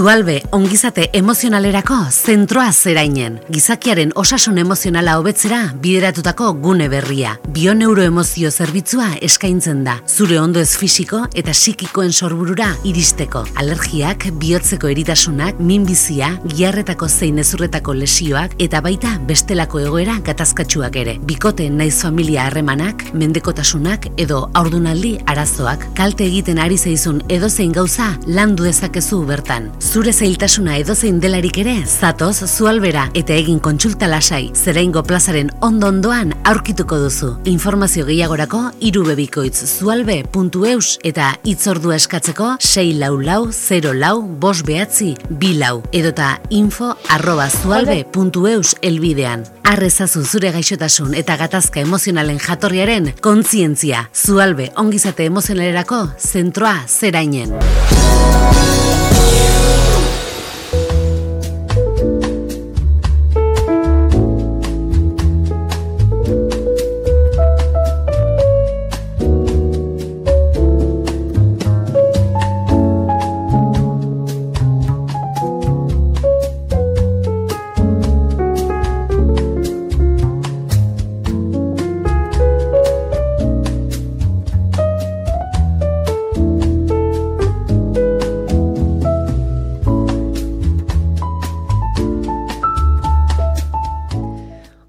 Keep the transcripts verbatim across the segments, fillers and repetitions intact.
Zualbe ongizate emozionalerako zentroa zerainen. Gizakiaren osasun emozionala hobetzera bideratutako gune berria. Bioneuroemozio zerbitzua eskaintzen da. Zure ondoez fisiko eta psikikoen sorburura iristeko. Alergiak, bihotzeko eritasunak, minbizia, giharretako zein ezurretako lesioak eta baita bestelako egoera gatazkatsuak ere. Bikote naiz familia harremanak, mendekotasunak edo haurdunaldi arazoak. Kalte egiten ari zaizun edozein gauza landu dezakezu bertan. Zure zailtasuna edozein delarik ere, zatoz Zualbera eta egin kontsulta lasai. Zeraingo plazaren ondo-ondoan aurkituko duzu. Informazio gehiagorako irubebikoitz zualbe puntu eus eta hitzordua eskatzeko sei lau lau zero lau bost behatzi bi lau edota info arroba zualbe puntu eus elbidean. Arrezazu zure gaixotasun eta gatazka emozionalen jatorriaren kontzientzia. Zualbe ongizate emozionalerako zentroa zerainen.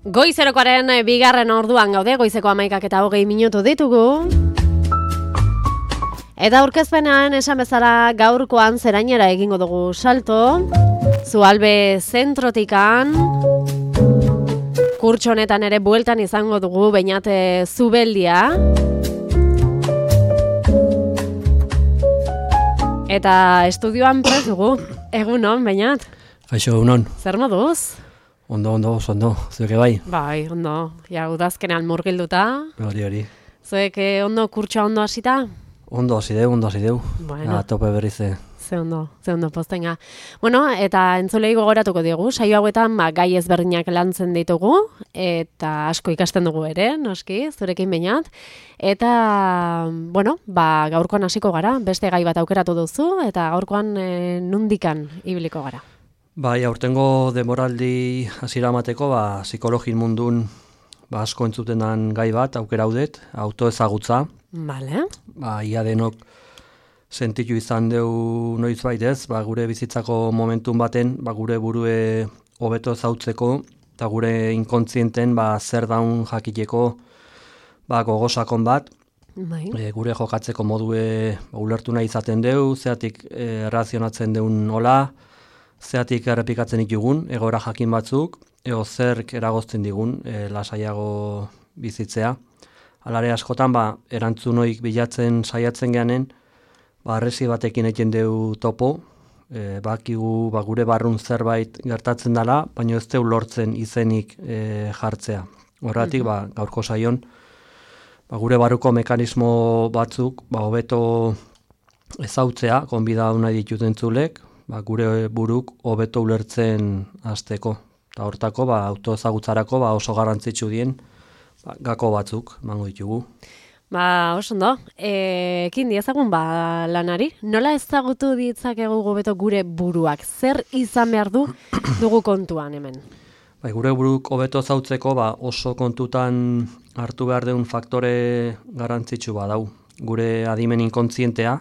Goizerokoaren bigarren orduan gaude, goizeko hamaikak eta hogei minutu ditugu. Eta aurkezpenean esan bezala gaurkoan zerainera egingo dugu salto. Zualbe zentrotikan. Kurtso honetan ere bueltan izango dugu Beñate Zubeldia. Eta estudioan prest dugu. Egunon, Beñat? Kaixo, egunon. Zer moduz? Ondo, ondo, oso ondo. Zuek bai? Bai, ondo. Ja, udazkenean murgilduta. Hori, hori. Zuek ondo, kurtsoa ondo hasita? Ondo hasi deu, ondo hasi deu. Bueno. Ja, tope berriz. Ze ondo, ze ondo postenga. Bueno, eta entzulei gogoratuko digu, saio hauetan ba, gai ezberdinak lantzen ditugu, eta asko ikasten dugu ere, noski, zurekin Beñat. Eta, bueno, ba, gaurkoan hasiko gara, beste gai bat aukeratu duzu, eta gaurkoan e, nundikan ibiliko gara. Bai, aurtengo demoraldi hasiera emateko, ba, psikologin mundun ba, asko entzutenan gai bat, aukera haudet, autoezagutza. Vale. Ba, ia denok sentitu izan deu noiz baitez, ba, gure bizitzako momentun baten, ba, gure burue hobeto ezautzeko, eta gure inkontzienten ba, zer daun jakiteko ba, gogosakon bat, bai. e, gure jokatzeko modue ba, ulertu nahi izaten deu, zeatik e, razionatzen deun hola, zeatik errepikatzen ditugun, egoera jakin batzuk, ego zerk eragozten digun e, lasaiago bizitzea. Alare askotan, ba, erantzunoik bilatzen saiatzen geanen, ba, arresi batekin egin deu topo, e, bakigu ba, gure barrun zerbait gertatzen dela, baina ez deu lortzen izenik e, jartzea. Horregatik, ba, gaurko saion, ba, gure barruko mekanismo batzuk, ba, hobeto ezautzea, konbida nahi ditut entzulek, ba, gure buruk hobeto ulertzen hasteko. Eta hortako, ba, autoezagutzarako ba, oso garrantzitsu dien ba, gako batzuk emango ditugu. Ba, oso ondo. E, ekin diezagun ba lanari. Nola ezagutu ditzakegu hobeto gure buruak? Zer izan behar du dugu kontuan hemen? Ba, gure buruk hobeto ezautzeko ba, oso kontutan hartu behar deun faktore garrantzitsu badau. Gure adimen inkontzientea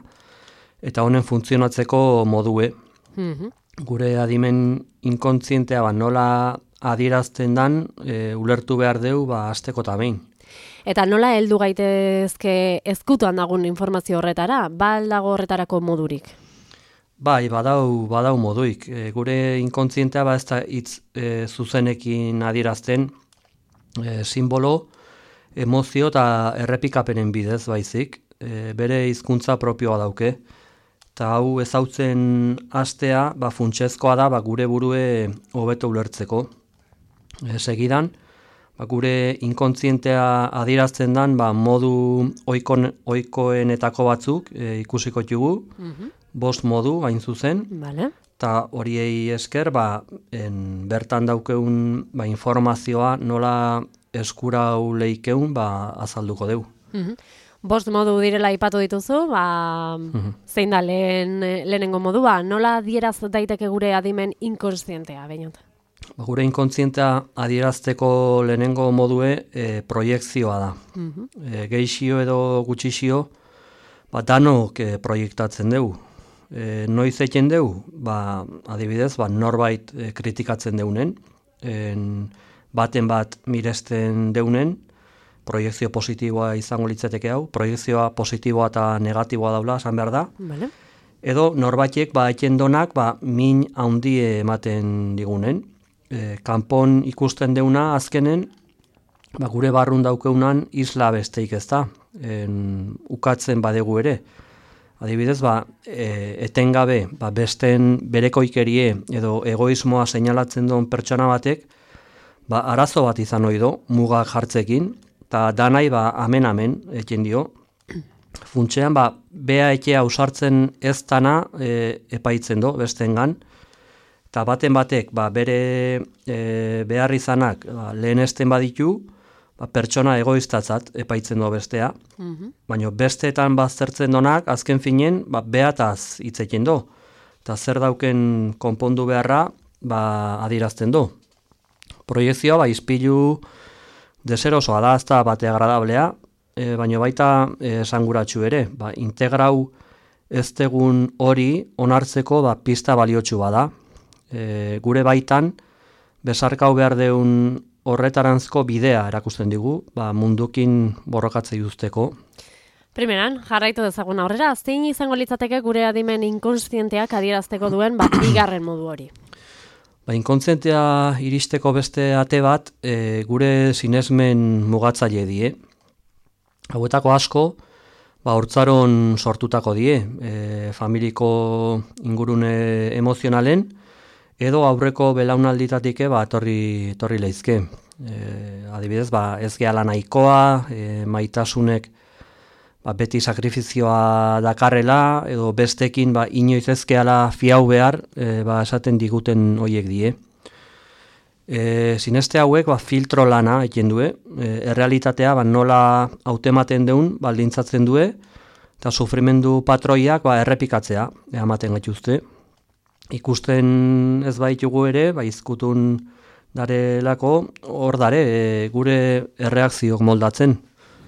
eta honen funtzionatzeko modue. Mhm. Gure adimen inkontzientea ba, nola adierazten dan e, ulertu behar deu ba, asteko eta behin. Eta nola heldu gaitezke ezkutuan dagun informazio horretara? Ba dago horretarako modurik? Bai, badau, badau moduik. E, gure inkontzientea ba, ez da hitz e, zuzenekin adierazten e, simbolo, emozio eta errepikapenen bidez baizik. E, bere hizkuntza propioa dauke. Eta hau ezautzen hastea, ba, funtsezkoa da ba, gure burue hobeto ulertzeko. E, segidan, ba, gure inkontzientea adierazten dan ba, modu oikon, oikoenetako batzuk e, ikusiko ditugu, Mhm. bost modu hain zuzen, Vale. eta horiei esker ba, en, bertan daukeun ba, informazioa nola eskura leikeun ba, azalduko deu. Mhm. Bost modu direla aipatu dituzu, ba, mm-hmm. zein da lehen, lehenengo modua, nola adieraz daiteke gure adimen inkonsientea, Beñat? Ba, gure inkontzientea adierazteko lehenengo modue e, proiekzioa da. Mm-hmm. E, geixio edo gutxixio, ba, danok e, proiektatzen dugu. E, noiz egiten dugu, ba, adibidez, ba, norbait e, kritikatzen deunen, en, baten bat miresten deunen, proiekzio positiboa izango litzateke hau, proiekzioa positiboa eta negatiboa daula, esan behar da. Vale. Edo norbaitek ba, eten donak ba, min handie ematen digunen. E, kanpon ikusten deuna azkenen, ba, gure barrun daukeunan isla besteik ez da, en, ukatzen badegu ere. Adibidez, ba, e, etengabe ba, besten berekoikerie edo egoismoa seinalatzen duen pertsona batek, ba, arazo bat izan ohi do, mugak jartzekin, eta danai ba, amen-amen eken dio. Funtsean, ba, bea ekea usartzen ez dana e, epaitzen do, bestengan, eta baten batek ba, bere e, behar izanak ba, lehenesten baditu, ba, pertsona egoiztatzat epaitzen do bestea, mm-hmm. baina besteetan baztertzen donak, azken finen, ba, beataz hitzekin do, eta zer dauken konpondu beharra ba, adirazten do. Proiekzioa, ba, izpilu deserosoa da, ez da bate agradablea, e, baina baita esanguratsu ere, ba, integrau ez tegun hori onartzeko ba, pista baliotsu bada. E, gure baitan, besarkau behar deun horretaranzko bidea erakusten digu, ba, mundukin borrokatzei usteko. Primeran, jarraitu dezagun aurrera, zein izango litzateke gure adimen inkonsienteak adierazteko duen bat bigarren modu hori? Ba, inkontzientea iristeko beste ate bat e, gure sinesmen mugatzaile die. Hauetako asko, ba, hortzaron sortutako die, e, familiko ingurune emozionalen, edo aurreko belaunalditatik ba, torri, torri leizke. E, adibidez, ba, ez gehala nahikoa, e, maitasunek ba, beti sakrifizioa dakarrela, edo bestekin ba, inoiz ez gehala fiau behar, e, ba, esaten diguten hoiek die. E, sineste hauek ba, filtro lana eken due, e, errealitatea ba, nola hautematen deun baldintzatzen due, eta sufrimendu patroiak ba, errepikatzea, ematen gaituzte. Ikusten ez baitugu ere, ba, izkutun darelako, hor dare, e, gure erreakziok moldatzen.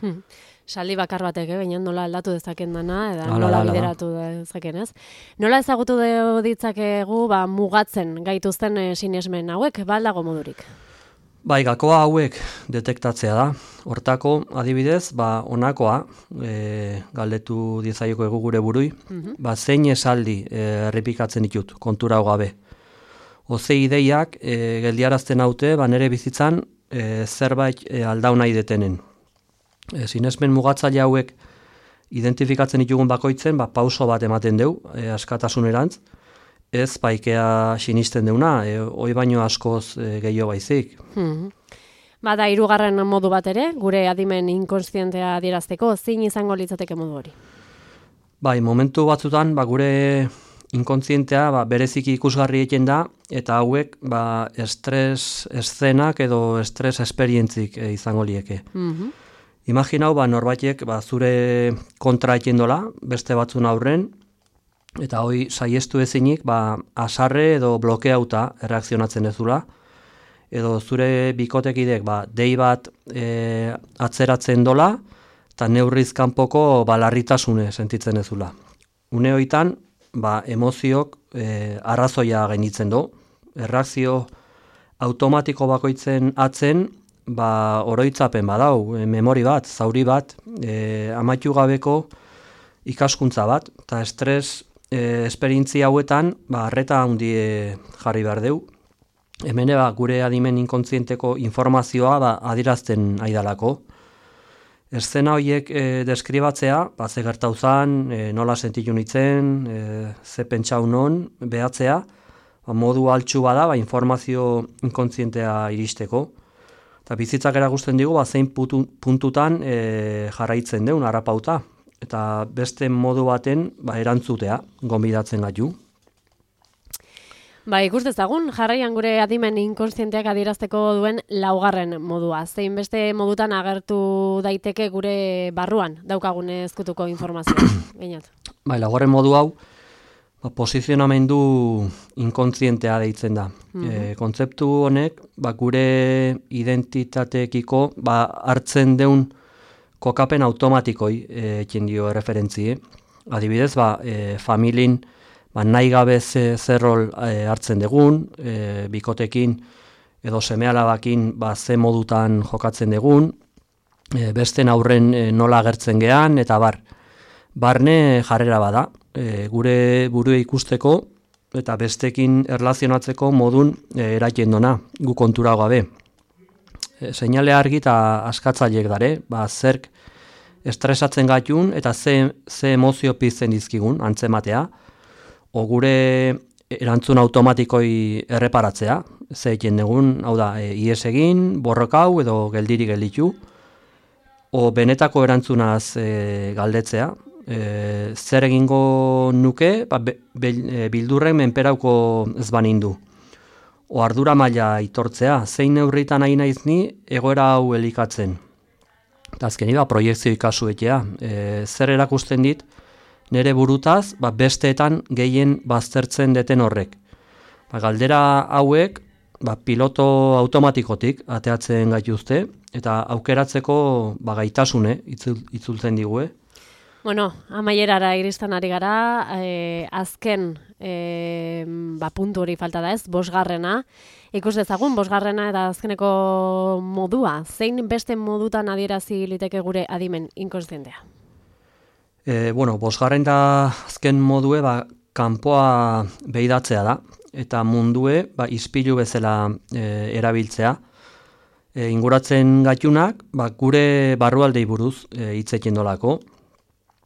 Hmm. Saldi bakar batek, eh? Baina nola aldatu dezaken dana, eta ala, nola ala, bideratu dezaken, ez? Nola ezagutu ditzakegu ba, mugatzen gaituzten e, sinesmen hauek, ba aldago modurik? Bai, gakoa hauek detektatzea da. Hortako, adibidez, ba, onakoa, e, galdetu dizaioko egu gure burui, mm-hmm. ba, zein esaldi e, errepikatzen ditut, kontura gabe. Oze ideiak e, geldiarazten haute, ba, nere bizitzan e, zerbait e, aldau nahi detenen. E, sinesmen mugatzaile hauek identifikatzen ditugun bakoitzen, ba, pauso bat ematen deu, e, askatasunerantz, ez baikea sinisten deuna, e, hoi baino askoz e, gehiago baizik. Hmm. Bada, hirugarren modu bat ere, gure adimen inkonsientea adierazteko, zein izango litzateke modu hori? Bai, momentu batzutan, ba, gure inkontzientea ba, bereziki ikusgarri eken da, eta hauek ba, estres eszenak edo estres esperientzik e, izango lieke. Mm-hmm. Imaginau, ba, norbaitek ba, zure kontra eken dola, beste batzun aurren, eta hoi saiestu ezinik, ba, asarre edo blokeauta erreakzionatzen ezula, edo zure bikotekidek ba, dei bat e, atzeratzen dola, eta neurriz kanpoko ba, larritasune sentitzen ezula. Une hoitan, ba, emoziok e, arrazoia gainitzen do, erreakzio automatiko bakoitzen atzen, ba, oroitzapen badau, e, memori bat, zauri bat, e, amaitu gabeko ikaskuntza bat, eta estres E, esperientzia hauetan, ba, arreta handie jarri behar deu. Hemen ba, gure adimen inkontzienteko informazioa ba, adirazten aidalako. Eszena horiek e, deskribatzea, ba, ze gertauzan, e, nola sentitu nitzen, e, ze pentsau non, behatzea, ba, modu altxu bada, ba, informazio inkontzientea iristeko. Eta bizitzak erakusten digu, ba, zein putu, puntutan e, jarraitzen deun, harrapauta. Eta beste modu baten ba, erantzutea, gonbidatzen gaitu. Ba, ikus dezagun, jarraian gure adimen inkonstienteak adierazteko duen laugarren modua. Zein beste modutan agertu daiteke gure barruan daukagun ezkutuko informazioa. Gainat. Bai, laugarren modu hau, ba, posizionamendu inkontzientea deitzen da. Mm-hmm. E, kontzeptu honek, ba, gure identitateekiko ba, hartzen deun kokapen automatikoi ekin dio referentzie. Adibidez, ba, e, familin ba, nahi gabe ze, zer rol e, hartzen dugun, e, bikotekin edo seme-alabakin ba, ze modutan jokatzen dugun, e, besten aurren e, nola agertzen gean, eta bar. Barne jarrera bada, e, gure burua ikusteko eta bestekin erlazionatzeko modun e, eraiten dona, gu kontura gabe. E, seinale argi eta askatzaileek dare, ba, zerk estresatzen gatun eta ze, ze emozio pizten dizkigun antzematea, o gure erantzun automatikoi erreparatzea, ze egin dugun, hau da, e, ies egin, borrokau edo geldiri gelditu, o benetako erantzunaz e, galdetzea, e, zer egingo nuke, ba, be, be, e, bildurren menperauko ez banindu. O ardura maila itortzea, zein neurritan nahi naiz ni egoera hau elikatzen. Eta azkeni ba, proiektzio ikasuetea, e, zer erakusten dit, nere burutaz, ba, besteetan gehien baztertzen deten horrek. Ba, galdera hauek, ba, piloto automatikotik ateatzen gaituzte, eta aukeratzeko ba, gaitasune itzul, itzultzen digue. Bueno, amaierara iristen ari gara, e, azken e, ba, puntu hori falta da ez, bosgarrena. Ikus dezagun, bosgarrena eta azkeneko modua, zein beste modutan adierazi liteke gure adimen inkonstientea? E, bueno, bosgarren da azken modue, ba, kanpoa behidatzea da, eta mundue, ba, ispilu bezala e, erabiltzea. E, inguratzen gatunak, ba, gure barrualdei buruz e, hitzekin dolako.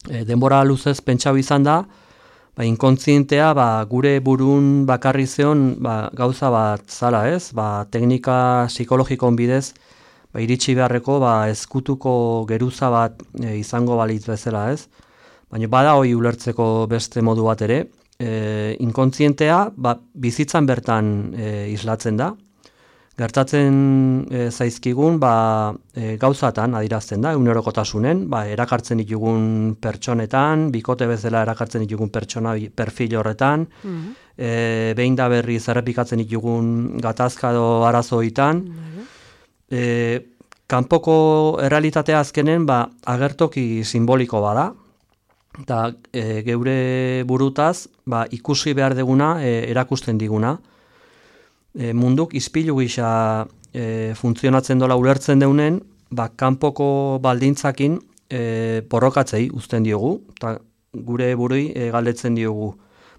E, denbora luzez pentsau izan da, ba, inkontzientea ba, gure burun bakarri zeon ba, gauza bat zala ez, ba, teknika psikologikon bidez, ba, iritsi beharreko ba, ezkutuko geruza bat e, izango balitz bezala ez. Baina bada hori ulertzeko beste modu bat ere, e, inkontzientea ba, bizitzan bertan e, islatzen da. Gertatzen e, zaizkigun ba, e, gauzatan adirazten da, egunerokotasunen, ba, erakartzen ditugun pertsonetan, bikote bezala erakartzen ditugun pertsona perfil horretan, mm-hmm. e, behin da berri zerrepikatzen ditugun gatazka edo arazoitan. Mm-hmm. E, kanpoko errealitatea azkenen ba, agertoki simboliko bada, eta e, geure burutaz ba, ikusi behar deguna e, erakusten diguna. E, munduk izpilu gisa e, funtzionatzen dola ulertzen deunen, ba, kanpoko baldintzakin e, borrokatzei uzten diogu, eta gure burui e, galdetzen diogu.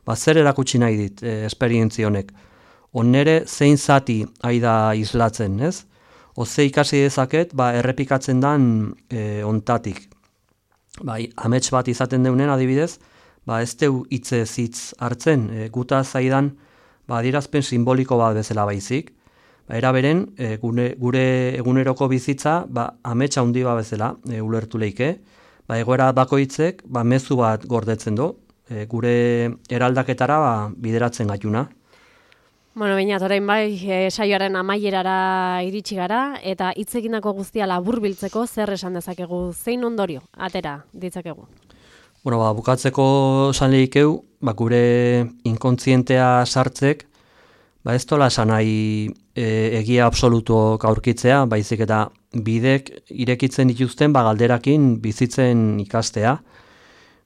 Ba, zer erakutsi nahi dit e, esperientzia honek? Onere zein zati aida islatzen, ez? O ze ikasi dezaket ba, errepikatzen dan e, ontatik. Bai, amets bat izaten deunen adibidez, ba ez deu hitze hitz hartzen, e, guta zaidan ba adierazpen simboliko bat bezala baizik. Ba era beren, e, gure, gure eguneroko bizitza ba amets handi bat bezala e, ulertu leike. Ba egoera bakoitzek ba mezu bat gordetzen du, e, gure eraldaketara ba, bideratzen gaituna. Bueno, baina orain bai, e, saioaren amaierara iritsi gara, eta hitz egindako guztia laburbiltzeko zer esan dezakegu, zein ondorio atera ditzakegu? Bueno, ba, bukatzeko esan lehikeu, ba, gure inkontzientea sartzek, ba, ez tola esan nahi e, egia absolutuok aurkitzea, baizik eta bidek irekitzen dituzten ba, galderakin bizitzen ikastea.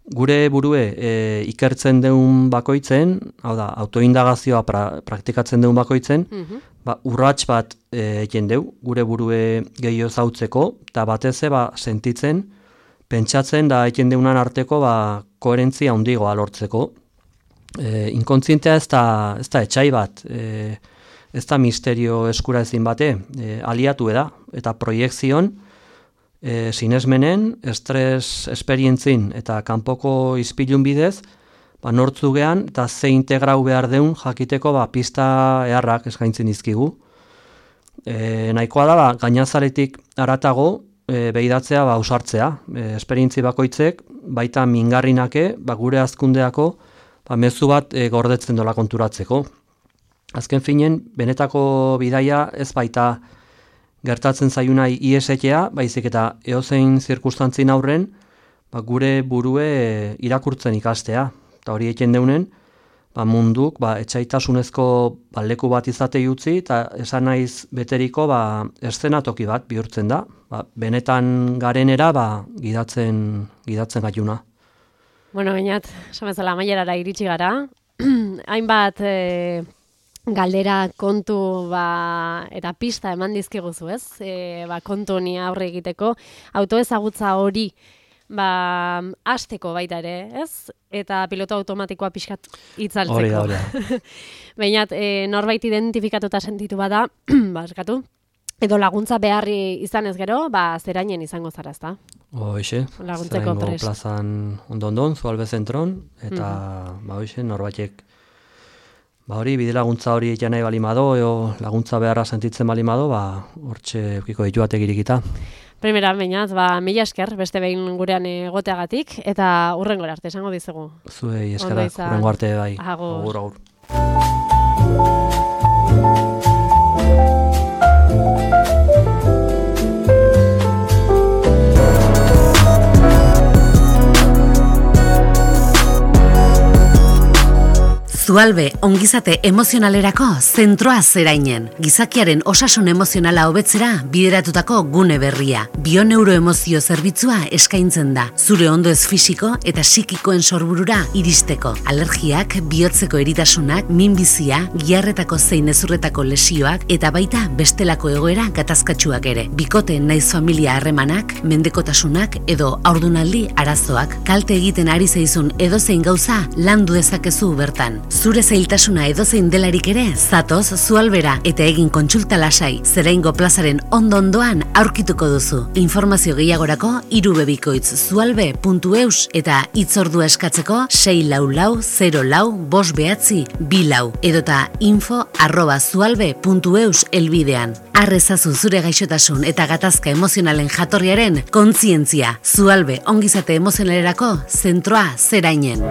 Gure burue e, ikertzen deun bakoitzen, hau da, autoindagazioa pra, praktikatzen deun bakoitzen, mm-hmm. ba, urrats bat egin deu, gure burue gehiago zautzeko, eta batez ba, sentitzen, pentsatzen da egin deunan arteko ba, koherentzia handigoa lortzeko. E, inkontzientea ez da, ez da etxai bat, e, ez da misterio eskura ezin bate, e, aliatu da, eta proiekzion, E, sinesmenen, estres esperientzin eta kanpoko izpilun bidez, ba, nortzu gehan eta ze integrau behar deun jakiteko ba, pista eharrak eskaintzen dizkigu. E, nahikoa da, ba, gainazaretik aratago e, behidatzea ba, usartzea. E, esperientzi bakoitzek, baita mingarrinake, ba, gure azkundeako ba, mezu bat e, gordetzen dola konturatzeko. azken finen, benetako bidaia ez baita gertatzen zaiunai iesetea, baizik eta eozein zirkustantzin aurren, ba, gure burue irakurtzen ikastea. Eta hori eken deunen, ba, munduk ba, etxaitasunezko ba, leku bat izatei utzi, eta esan naiz beteriko ba, eszenatoki bat bihurtzen da. Ba, benetan garenera ba, gidatzen, gidatzen gaiuna. Bueno, bainat, esan bezala amaierara iritsi gara. Hainbat e, galdera, kontu ba, eta pista eman dizkiguzu, ez? E, ba, kontu honi aurre egiteko. Autoezagutza hori ba, hasteko baita ere, ez? Eta piloto automatikoa pixkat itzaltzeko. Hori da, hori da. Bainat, e, norbait identifikatuta sentitu bada, ba, eskatu, edo laguntza beharri izan ez gero, ba, zerainen izango zara, ezta? Hoxe, laguntzeko prest. plazan ondo-ondon, Zualbe zentron, eta Mhm. ba, hoxe, norbaitek ba, hori, bide laguntza hori egitea nahi balimado, eo laguntza beharra sentitzen balimado, ba, hortxe eukiko ditu batek irikita. Primera, bainat, ba, mila esker, beste behin gurean egoteagatik, eta hurrengora arte, esango dizugu. Zuei Ondo eskerak, izan. hurrengo arte bai. Agur. Agur, agur. Zualbe ongizate emozionalerako zentroa zerainen. Gizakiaren osasun emozionala hobetzera bideratutako gune berria. Bioneuroemozio zerbitzua eskaintzen da. Zure ondo ez fisiko eta psikikoen sorburura iristeko. Alergiak, bihotzeko eritasunak, minbizia, giharretako zein ezurretako lesioak eta baita bestelako egoera gatazkatsuak ere. Bikote naiz familia harremanak, mendekotasunak edo haurdunaldi arazoak. Kalte egiten ari zaizun edozein gauza landu dezakezu bertan. Zure zailtasuna edozein delarik ere, zatoz Zualbera eta egin kontsulta lasai, Zeraingo plazaren ondo-ondoan aurkituko duzu. Informazio gehiagorako irubebikoitz zualbe puntu eus eta hitzordua eskatzeko sei lau lau zero lau bost behatzi bi lau edota info arroba zualbe puntu eus elbidean. Arrezazu zure gaixotasun eta gatazka emozionalen jatorriaren kontzientzia. Zualbe ongizate emozionalerako zentroa zerainen.